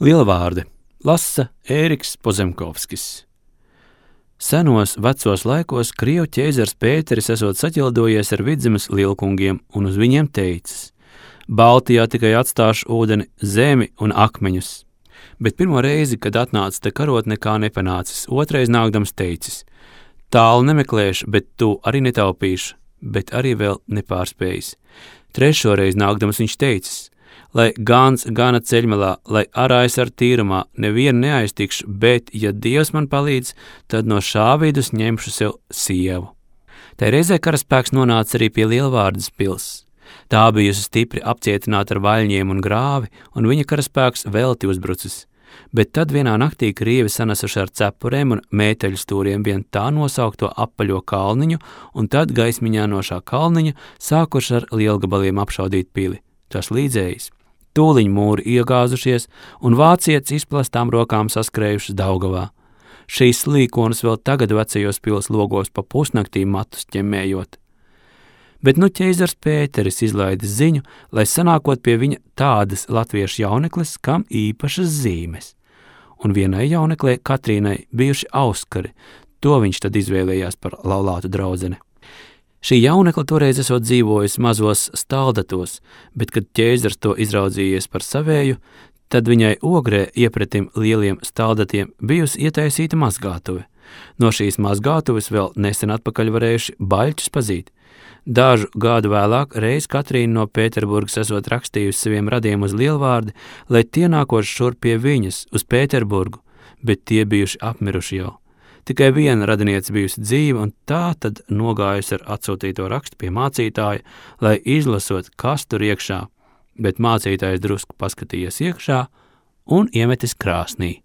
Lielvārdi lasa Ēriks Pozemkovskis. Senos vecos laikos Krievu ķeizars Pēteris esot saķildojies ar Vidzemes lielkungiem un uz viņiem teicis: Baltijā tikai atstāšu ūdeni, zemi un akmeņus. Bet pirmo reizi, kad atnāca te karot, nekā nepanācis, otrais nākdams teicis: Tālu nemeklēšu, bet tu arī netaupīšu, bet arī vēl nepārspējis. Trešoreiz nākdams viņš teicis: Lai gans gana ceļmalā, lai arājs ar tīrumā, nevienu neaiztikšu, bet, ja Dievs man palīdz, tad no šā vidus ņemšu sev sievu. Tai reizē karaspēks nonāca arī pie Lielvārdas pils. Tā bijusi stipri apcietināta ar vaļņiem un grāvi, un viņa karaspēks velti uzbrucis. Bet tad vienā naktī krievi sanesuši ar cepurēm un mēteļu stūriem vien tā nosaukto apaļo kalniņu, un tad gaismiņā no šā kalniņa sākuši ar lielgabaliem apšaudīt pili. Tas līdzējis. Tūliņ mūri iegāzušies, un vācietis izplastām rokām saskrējušas Daugavā. Šīs slīkonas vēl tagad vecajos pils logos pa pusnaktī matus ķemmējot. Bet nu ķeizars Pēteris izlaidis ziņu, lai sanākot pie viņa tādas latviešu jaunekles, kam īpašas zīmes. Un vienai jauneklē Katrīnai bijuši auskari, to viņš tad izvēlējās par laulātu draudzeni. Šī jaunekla toreiz esot dzīvojusi mazos staldatos, bet, kad ķeizars to izraudzījies par savēju, tad viņai ogrē iepretim lieliem staldatiem bijusi ietaisīta mazgātuve. No šīs mazgātuves vēl nesen atpakaļ varējuši baļķus pazīt. Dažu gadu vēlāk reiz Katrīna no Pēterburgas esot rakstījusi saviem radiem uz Lielvārdi, lai tie nākoši šur pie viņas uz Pēterburgu, bet tie bijuši apmiruši jau. Tikai viena radiniece bijusi dzīva, un tā tad nogājusi ar atsūtīto rakstu pie mācītāja, lai izlasot, kas tur iekšā, bet mācītājs drusku paskatījies iekšā un iemetis krāsnī.